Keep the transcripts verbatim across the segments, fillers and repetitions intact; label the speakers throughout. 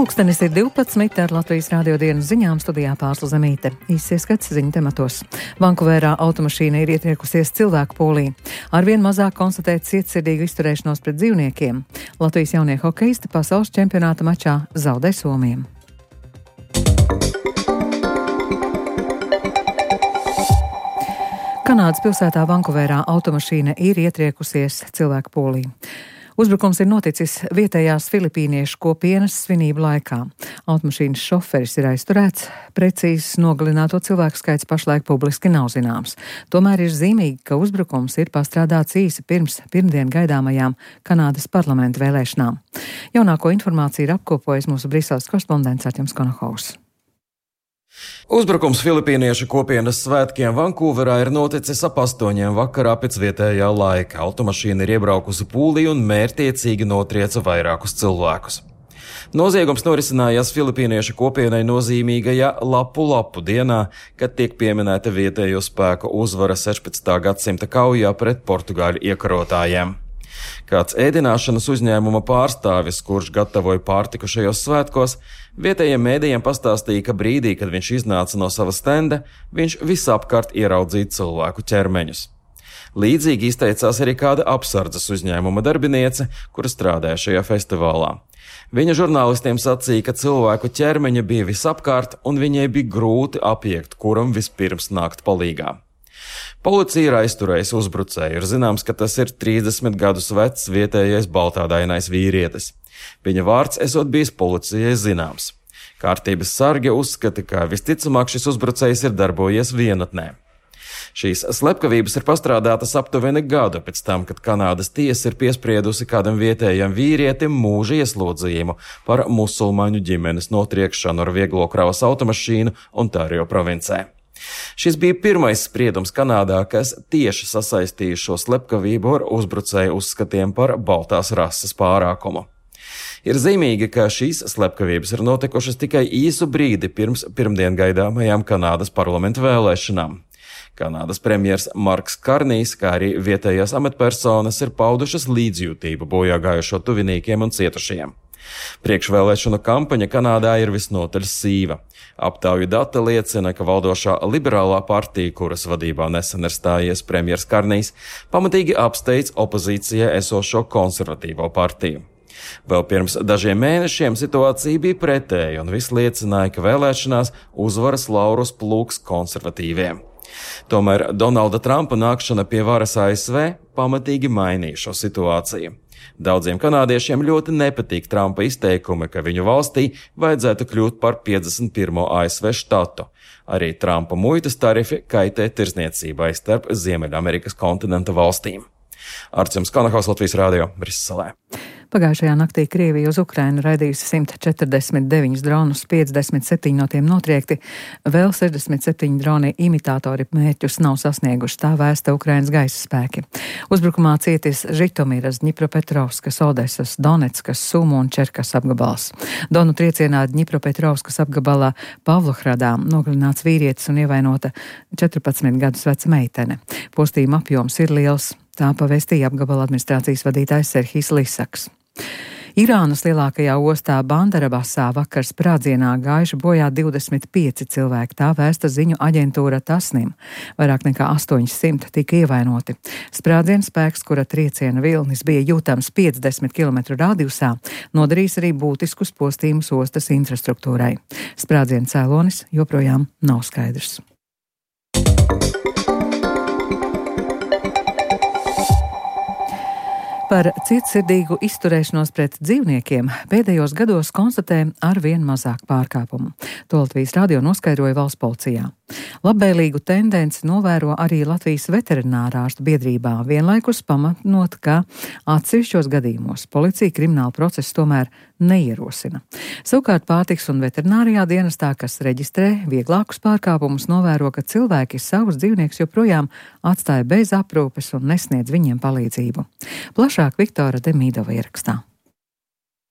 Speaker 1: Pulkstenis ir divpadsmit ar Latvijas Rādio dienas ziņām, studijā Pārsla Zemīte. Īsts ieskats ziņu tematos. Vankūverā automašīna ir ietriekusies cilvēku pūlī. Arvien mazāk konstatēt cietsirdīgu izturēšanos pret dzīvniekiem. Latvijas jaunie hokeisti pasaules čempionāta mačā zaudē Somijam. Kanādas pilsētā Vankūverā automašīna ir ietriekusies cilvēku pūlī. Uzbrukums ir noticis vietējās filipīniešu kopienas svinību laikā. Automašīnas šoferis ir aizturēts, precīzs nogalināto cilvēku skaits pašlaik publiski nav zināms. Tomēr ir zīmīgi, ka uzbrukums ir pastrādāts īsi pirms pirmdien gaidāmajām Kanādas parlamenta vēlēšanām. Jaunāko informāciju ir apkopojis mūsu Briseles korespondents Artjums Konohaus.
Speaker 2: Uzbrukums filipīniešu kopienas svētkiem Vankūverā ir noticis ap astoņiem vakarā pēc vietējā laika. Automašīna ir iebraukusi pūlī un mērķtiecīgi notrieca vairākus cilvēkus. Noziegums norisinājās filipīniešu kopienai nozīmīgajā Lapu Lapu dienā, kad tiek pieminēta vietējo spēku uzvara sešpadsmitā gadsimta kaujā pret portugāļu iekarotājiem. Kāds ēdināšanas uzņēmuma pārstāvis, kurš gatavoja pārtiku šajos svētkos, vietējiem mēdījiem pastāstīja, ka brīdī, kad viņš iznāca no sava stenda, viņš visapkārt ieraudzīja cilvēku ķermeņus. Līdzīgi izteicās arī kāda apsardzes uzņēmuma darbiniece, kura strādāja šajā festivālā. Viņa žurnālistiem sacīja, ka cilvēku ķermeņa bija visapkārt un viņai bija grūti apiekt, kuram vispirms nākt palīgā. Policija ir aizturējusi uzbrucēju. Ir zināms, ka tas ir trīsdesmit gadus vecs vietējais baltādainais vīrietis. Viņa vārds esot bijis policijai zināms. Kārtības sargi uzskata, ka visticamāk šis uzbrucējs ir darbojies vienatnē. Šīs slepkavības ir pastrādātas aptuveni gadu pēc tam, kad Kanādas tiesa ir piespriedusi kādam vietējam vīrietim mūža ieslodzījumu par musulmaņu ģimenes notriekšanu ar vieglo kravas automašīnu Ontārio provincē. Šis bija pirmais spriedums Kanādā, kas tieši sasaistīja šo slepkavību ar uzbrucēju uzskatiem par baltās rases pārākumu. Ir zīmīgi, ka šīs slepkavības ir notikušas tikai īsu brīdi pirms pirmdien gaidāmajām Kanādas parlamenta vēlēšanām. Kanādas premjers Marks Karnijs, kā arī vietējās amatpersonas ir paudušas līdzjūtību bojā gājušo tuviniekiem un cietušajiem. Priekšvēlēšanu kampaņa Kanādā ir visnotaļ sīva. Aptauju dati liecina, ka valdošā liberālā partija, kuras vadībā nesen ir stājies premjers Karnijs, pamatīgi apsteidz opozīcijā esošo konservatīvo partiju. Vēl pirms dažiem mēnešiem situācija bija pretēja un viss liecināja, ka vēlēšanās uzvaras laurus plūks konservatīviem. Tomēr Donalda Trumpa nākšana pie varas A S V pamatīgi mainīja šo situāciju. Daudziem kanādiešiem ļoti nepatīk Trumpa izteikumi, ka viņu valstī vajadzētu kļūt par piecdesmit pirmo A S V štatu. Arī Trumpa muitas tarifi kaitē tirzniecībai starp Ziemeļamerikas kontinenta valstīm. Artjums Konohaus, Latvijas Rādio, Briselē.
Speaker 1: Pagājušajā naktī Krievija uz Ukrainu raidījusi simt četrdesmit deviņus dronus, piecdesmit septiņi no tiem notriekti, vēl sešdesmit septiņi droni imitātori mērķus nav sasnieguši, tā vēsta Ukrainas gaisa spēki. Uzbrukumā cietis Žitomiras, Dņipropetrovskas, Odesas, Donetskas, Sumu un Čerkas apgabals. Donu triecienā Dņipropetrovskas apgabalā Pavlohradā nogalināts vīrietis un ievainota četrpadsmit gadus veca meitene. Postījuma apjoms ir liels, tā pavēstīja apgabala administrācijas vadītājs Serhijs Lisaks. Irānas lielākajā ostā Bandarabasā vakar sprādzienā gājuši bojā divdesmit pieci cilvēki, tā vēsta ziņu aģentūra Tasnim. Vairāk nekā astoņsimt tika ievainoti. Sprādziena spēks, kura trieciena vilnis bija jūtams piecdesmit kilometru radiusā, nodarīs arī būtiskus postījumus ostas infrastruktūrai. Sprādziena cēlonis joprojām nav skaidrs. Par cietsirdīgu izturēšanos pret dzīvniekiem pēdējos gados konstatē arvien mazāk pārkāpumu. To Latvijas Rādio noskaidroja valsts policijā. Labvēlīgu tendenci novēro arī Latvijas veterinārārstu biedrībā, vienlaikus pamatnot, ka atsevišķos gadījumos policija kriminālu procesu tomēr neierosina. Savukārt pārtiks un veterinārijā dienestā, kas reģistrē vieglākus pārkāpumus, novēro, ka cilvēki savus dzīvniekus joprojām atstāja bez aprūpes un nesniedz viņiem palīdzību. Plašāk Viktora Demīdova ierakstā.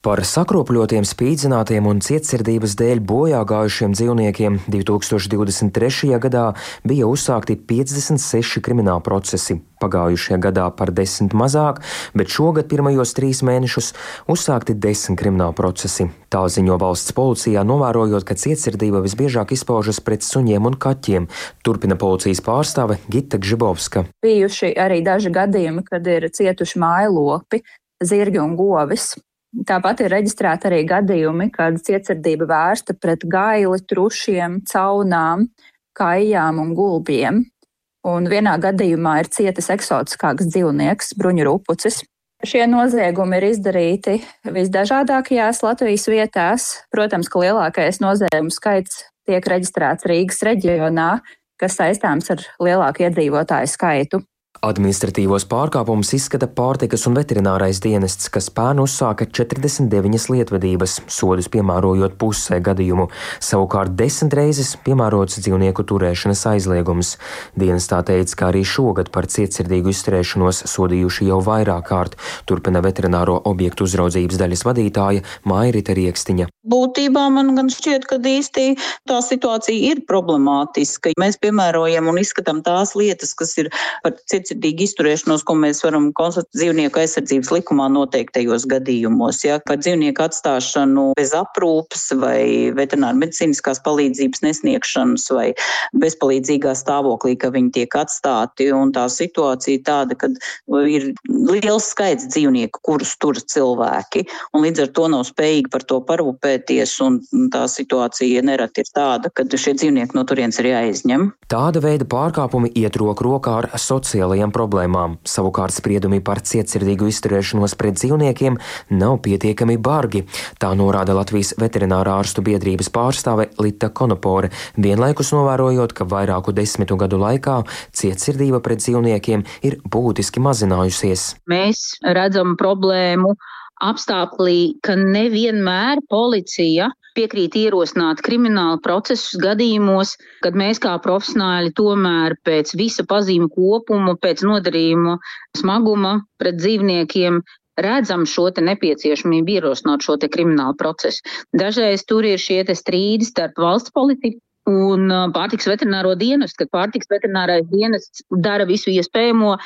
Speaker 3: Par sakropļotiem, spīdzinātiem un cietsirdības dēļ bojā gājušiem dzīvniekiem divi tūkstoši divdesmit trešajā gadā bija uzsākti piecdesmit seši krimināla procesi. Pagājušajā gadā par desmit mazāk, bet šogad pirmajos trīs mēnešus uzsākti desmit krimināla procesi. Tā ziņo valsts policijā, novērojot, ka cietsirdība visbiežāk izpaužas pret suņiem un kaķiem, turpina policijas pārstāve Gita Gžibovska.
Speaker 4: Bijuši arī daži gadījumi, kad ir cietuši mājlopi, zirgi un govis. Tāpat ir reģistrēti arī gadījumi, kad cietsirdība vērsta pret gaili, trušiem, caunām, kājām un gulbiem. Un vienā gadījumā ir cietis eksotiskāks dzīvnieks, bruņurupucis. Šie noziegumi ir izdarīti visdažādākajās Latvijas vietās. Protams, ka lielākais noziegumu skaits tiek reģistrēts Rīgas reģionā, kas saistāms ar lielāku iedzīvotāju skaitu.
Speaker 3: Administratīvos pārkāpumus izskata pārtikas un veterinārais dienests, kas pērn uzsāka četrdesmit deviņas lietvedības, sodus piemērojot pusē gadījumu. Savukārt desmit reizes piemērots dzīvnieku turēšanas aizliegums. Dienestā teica, ka arī šogad par cietsirdīgu izturēšanos sodījuši jau vairāk kārt, turpina veterināro objektu uzraudzības daļas vadītāja Mairita Riekstiņa.
Speaker 5: Būtībā man gan šķiet, ka īsti tā situācija ir problemātiska. Mēs piemērojam un izskatām tās lietas, kas ir par cietsirdīgu izturēšanos, ko mēs varam konstatēt dzīvnieku aizsardzības likumā noteiktajos gadījumos. Ja, par dzīvnieku atstāšanu bez aprūpes vai veterināra medicīniskās palīdzības nesniegšanas vai bezpalīdzīgā stāvoklī, ka viņi tiek atstāti. Un tā situācija tāda, ka ir liels skaits dzīvnieku, kurus tur cilvēki, un līdz ar to nav spējīgi par to parūpēties, un tā situācija nereti ir tāda, ka šie dzīvnieki no turienes ir jāizņem.
Speaker 3: Tāda veida pārkāpumi iet roku rokā ar sociālajām problēmām. Savukārt spriedumi par cietsirdīgu izturēšanos pret dzīvniekiem nav pietiekami bargi. Tā norāda Latvijas veterinārā ārstu biedrības pārstāve Lita Konopore, vienlaikus novērojot, ka vairāku desmitu gadu laikā cietsirdība pret dzīvniekiem ir būtiski mazinājusies.
Speaker 5: Mēs redzam problēmu apstākļi, ka nevienmēr policija piekrīt ierosināt kriminālu procesus gadījumos, kad mēs kā profesionāļi tomēr pēc visa pazīmu kopuma, pēc nodarījuma smaguma pret dzīvniekiem redzam šo te nepieciešamību ierosināt šo te kriminālu procesu. Dažreiz tur ir šie te strīdi starp valsts politiku un pārtikas veterināro dienestu, kad pārtikas veterinārais dienests dara visu iespējamo,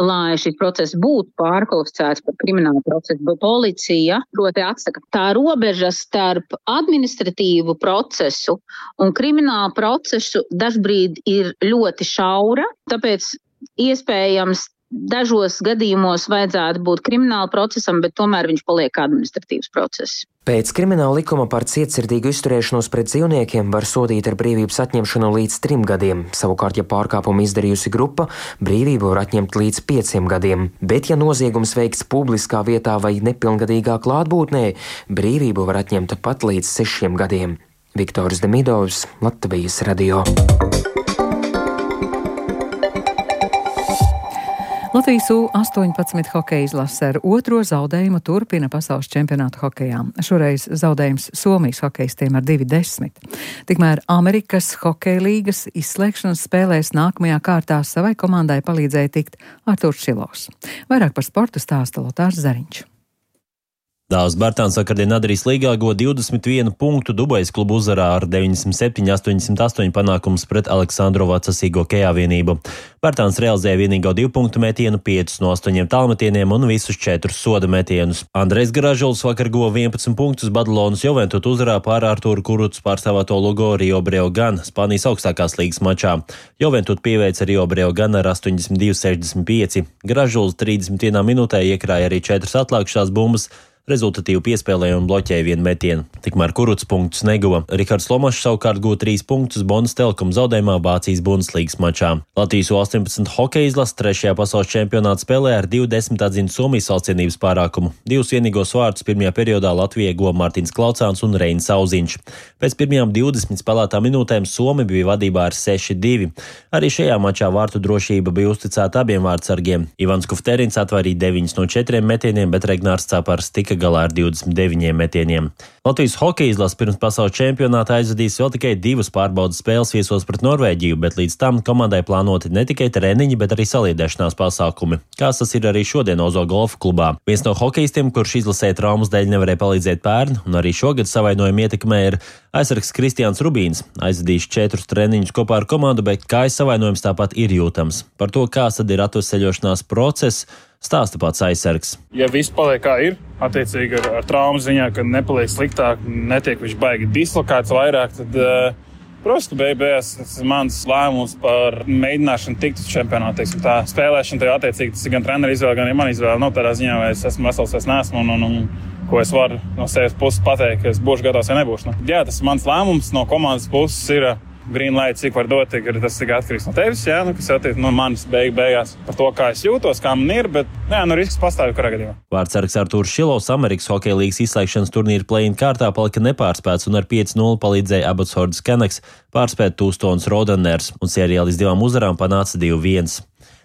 Speaker 5: lai šis process būtu pārkvalificēts par kriminālu procesu, bet policija proti atsaka. Tā robeža starp administratīvu procesu un kriminālu procesu dažbrīd ir ļoti šaura, tāpēc iespējams dažos gadījumos vajadzētu būt krimināla procesam, bet tomēr viņš paliek administratīvs process.
Speaker 3: Pēc krimināla likuma par cietsirdīgu izturēšanos pret dzīvniekiem var sodīt ar brīvības atņemšanu līdz trim gadiem. Savukārt, ja pārkāpumu izdarījusi grupa, brīvību var atņemt līdz pieciem gadiem. Bet, ja noziegums veikts publiskā vietā vai nepilngadīgā klātbūtnē, brīvību var atņemt pat līdz sešiem gadiem. Viktors Demidovs, Latvijas radio.
Speaker 1: Latvijas U astoņpadsmit hokeja izlase ar otro zaudējumu turpina pasaules čempionātu hokejā. Šoreiz zaudējums Somijas hokejistiem ar divi desmit. Tikmēr Amerikas hokeja līgas izslēgšanas spēlēs nākamajā kārtā savai komandai palīdzēja tikt Arturs Šilovs. Vairāk par sportu stāsta Lotārs Zariņš.
Speaker 6: Dāvs Bērtāns vakardien Adrijas līgā guva divdesmit vienu punktu, Dubajas klubu uzvarā ar deviņdesmit septiņi astoņdesmit astoņi panākums pret Aleksandrovu Sīgo Kejā vienību. Bērtāns realizēja vienīgo divu punktu metienu, piecus no astoņiem tālmetieniem un visus četrus soda metienus. Andrejs Gražuls vakar guva vienpadsmit punktus Badalonas Juventud uzvarā pār Arturu Kurucu pārstāvēto Lugo Rio Breogán Spānijas augstākās līgas mačā. Juventud pieveica Rio Breogán ar astoņdesmit divi sešdesmit pieci. Gražuls trīsdesmit vienā minūtē iekrāja arī četras atlākšās bumbas, rezultatīvi piespēlēja un bloķēja vienu metienu. Tikmēr Kurucs punktus neguva. Rihards Lomašs savukārt guva trīs punktus Bonas Telekom zaudējumā Vācijas Bundeslīgas mačā. Latvijas U astoņpadsmit hokeja izlase trešajā pasaules čempionāta spēlē ar divi desmit atzina Somijas valstsienības pārākumu. Divus vienīgos vārtus pirmajā periodā Latvijai guva Mārtiņš Klaucāns un Reinis Auziņš. Pēc pirmajām divdesmit spēlētām minūtēm Somi bija vadībā ar seši divi. Arī šajā mačā vārtu drošība bija uzticēta abiem vārtsargiem. Ivans Kufterins atvairīja deviņus no četriem metieniem, bet Regnārs Capars tika tika galā ar divdesmit deviņiem metieniem. Latvijas hokeja izlase pirms pasaules čempionāta aizvadīs vēl tikai divas pārbaudas spēles viesos pret Norvēģiju, bet līdz tam komandai plānoti ne tikai treniņi, bet arī saliedēšanās pasākumi. Kāds tas ir arī šodien Ozo golfa klubā. Viens no hokejistiem, kurš izlasē traumas dēļ nevarēja palīdzēt pērn, un arī šogad savainojumu ietekmē, ir aizsargs Kristiāns Rubīns. Aizvadījis četrus treniņus kopā ar komandu, bet kājas savainojums tāpat ir jūtams. Par to, kāds tad ir atveseļošanās process, stāsta pats aizsargs.
Speaker 7: Ja viss paliek kā ir, attiecīgi ar, ar traumu ziņā, kad nepaliek sliktāk, netiek viņš baigi dislokēts vairāk, tad, protams, ka beigās tas ir mans lēmums par mēģināšanu tikt uz čempionātu. Teiksim, tā spēlēšana tev attiecīgi, tas ir gan treneru izvēle, gan arī man izvēle. Nav tādā ziņā, vai es esmu vesels, es neesmu, un, un, un ko es varu no sevis puses pateikt, ka es būšu gatavs vai nebūšu. Nu, jā, tas ir mans lēmums no komandas puses ir green light, cik var dot, tas tikai atkarīgs no tevis, jā, nu, kas attiec no manis beig, beigās par to, kā es jūtos, kā man ir, bet jā, nu risks pastāv kurā gadījumā.
Speaker 6: Vārdsargs Artūrs Šilovs Amerikas hokeja līgas izslēgšanas turnīra play-in kārtā palika nepārspēts un ar pieci nulle palīdzēja Abbotsfordas Canucks pārspēt Tūstons Roadrunners un sērijā līdz divām uzvarām panāca divi viens.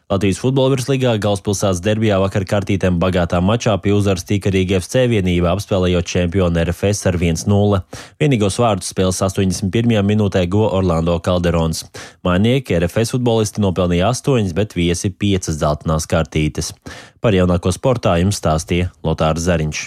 Speaker 6: Latvijas futbola virslīgā galvaspilsētas derbijā vakar kartītēm bagātā mačā pie uzvaras tika Rīga F C vienība, apspēlējot čempionu R F S ar viens nulle. Vienīgos vārdus spēles astoņdesmit pirmajā minūtē guva Orlando Calderons. Mājnieki R F S futbolisti nopelnīja astoņas, bet viesi piecas dzeltenās kartītes. Par jaunāko sportā jums stāstīja Lotārs Zariņš.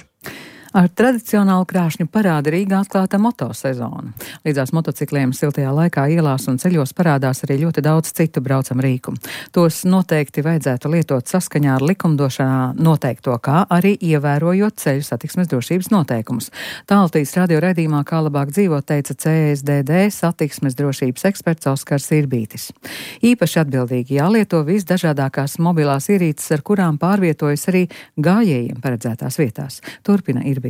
Speaker 1: Ar tradicionālu krāšņu parāda Rīgā atklāta motosezona. Līdzās motocikliem siltajā laikā ielās un ceļos parādās arī ļoti daudz citu braucamu rīku. Tos noteikti vajadzētu lietot saskaņā ar likumdošanā noteikto, kā arī ievērojot ceļu satiksmes drošības noteikumus. Tāltīs radio raidījumā Kā labāk dzīvot teica C S D D satiksmes drošības eksperts Oskars Irbītis. Īpaši atbildīgi jālieto visdažādākās mobilās ierīces, ar kurām pārvietojas arī gājējiem paredzētās vietās. Turpina Irbītis.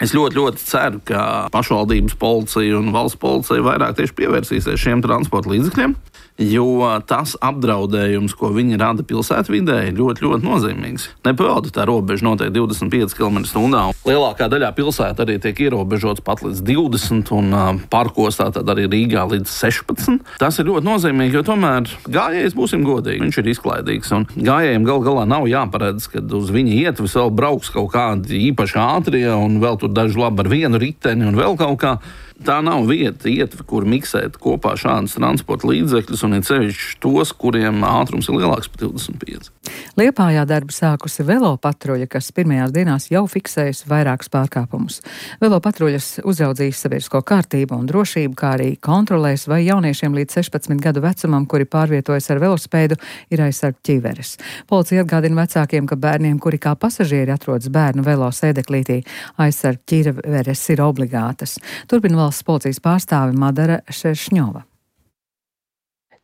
Speaker 8: Es ļoti, ļoti ceru, ka pašvaldības policija un valsts policija vairāk tieši pievērsīsies šiem transporta līdzekļiem, jo tas apdraudējums, ko viņi rada pilsētvidē, ir ļoti, ļoti nozīmīgs. Nepavalda tā robeža noteikti divdesmit pieci kilometri stundā. Lielākā daļā pilsēta arī tiek ierobežots pat līdz divdesmit un parkos tātad arī Rīgā līdz sešpadsmit. Tas ir ļoti nozīmīgi, jo tomēr gājējs, būsim godīgi, viņš ir izklaidīgs un gājējiem gal galā nav jāparedz, kad uz viņa ietves vēl brauks kaut kādi īpaši ātrie un vēl tur daži labi ar vienu riteni un vēl kaut kā. Tā nav vieta, ietve, kur miksēt kopā šādus transporta līdzekļus un ir ceļš tos, kuriem ātrums ir lielāks par divdesmit pieci.
Speaker 1: Liepājā darbu sākusi velo patruļa, kas pirmajās dienās jau fiksējusi vairākus pārkāpumus. Velo patruļas uzraudzīs sabiedrisko kārtību un drošību, kā arī kontrolēs, vai jauniešiem līdz sešpadsmit gadu vecumam, kuri pārvietojas ar velospēdu, ir aizsargt ķiveres. Policija atgādina vecākiem, ka bērniem, kuri kā pasažieri atrodas bērnu velo sēdeklītī, aizsargt ķiveres ir obligātas. Turpina valsts policijas pārstāve Madara Šeršņova.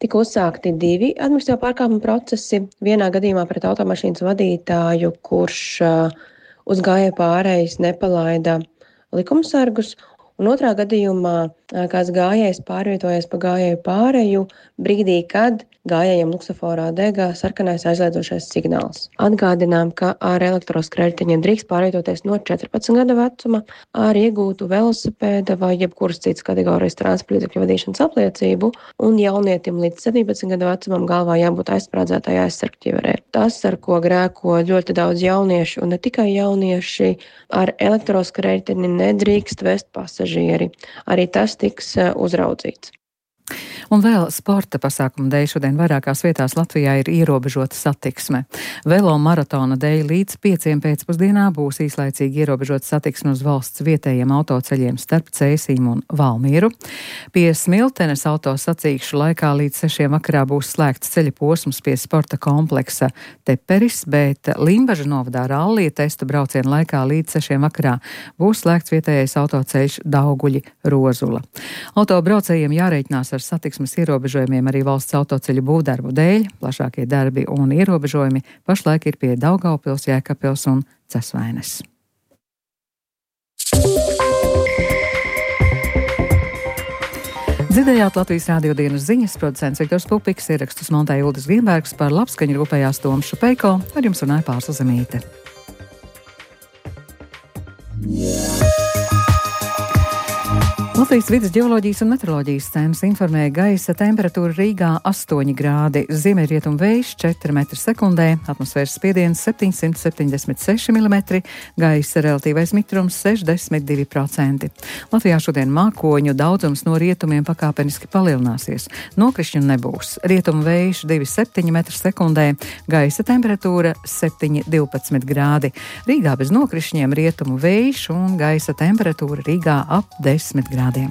Speaker 9: Tika uzsākti divi administratīvo pārkāpumu procesi. Vienā gadījumā pret automašīnas vadītāju, kurš uh, uz gājēju pārējas nepalaida likumsargus, un otrā gadījumā uh, kāds gājējs pārvietojas pa gājēju pārēju brīdī, kad gājējiem luksaforā degā sarkanais aizliedzošais signāls. Atgādinām, ka ar elektroskrētiņiem drīkst pārvietoties no četrpadsmit gada vecuma ar iegūtu velosipēda vai jebkuras citas kategorijas transporta līdzekļu vadīšanas apliecību, un jaunietim līdz septiņpadsmit gada vecumam galvā jābūt aizsprādzētai aizsargķiverē. Tas, ar ko grēko ļoti daudz jauniešu, un ne tikai jaunieši, ar elektroskrētiņu nedrīkst vest pasažieri. Arī tas tiks uzraudzīts.
Speaker 1: Un vēl sporta pasākumu dēļ šodien vairākās vietās Latvijā ir ierobežota satiksme. Velo maratona dēļ līdz pieciem pēcpusdienā būs īslaicīgi ierobežota satiksme uz valsts vietējiem autoceļiem starp Cēsīm un Valmieru. Pie Smiltenes autosacīkšu laikā līdz sešiem vakarā būs slēgts ceļa posms pie sporta kompleksa Teperis, bet Limbaža novadā rallija testa brauciena laikā līdz sešiem vakarā būs slēgts vietējais autoceļš Dauguļi Rozula. Autobraucējiem jārēķinās ar satiksmes ierobežojumiem arī valsts autoceļu būvdarbu dēļ. Plašākie darbi un ierobežojumi pašlaik ir pie Daugavpils, Jēkabpils un Cesvaines. Dzirdējāt Latvijas Rādio dienas ziņas, producents Viktors Pupiks, ierakstus montēja Uldis Vienbergs, par labskaņu rūpējās Toms Šupeiko, ar jums runāja Pārsla Zemīte. Latvijas Latvijas vides ģeoloģijas un meteoroloģijas centrs informēja gaisa temperatūra Rīgā astoņi grādi, ziemeļrietumu vējš četri metri sekundē, atmosfēras spiediens septiņsimt septiņdesmit seši milimetri, gaisa relatīvais mitrums sešdesmit divi procenti. Latvijā šodien mākoņu daudzums no rietumiem pakāpeniski palielināsies. Nokrišņu nebūs. Rietumu vējš divi septiņi metri sekundē, gaisa temperatūra septiņi divpadsmit grādi. Rīgā bez nokrišņiem rietumu vējš un gaisa temperatūra Rīgā ap desmit grādiem.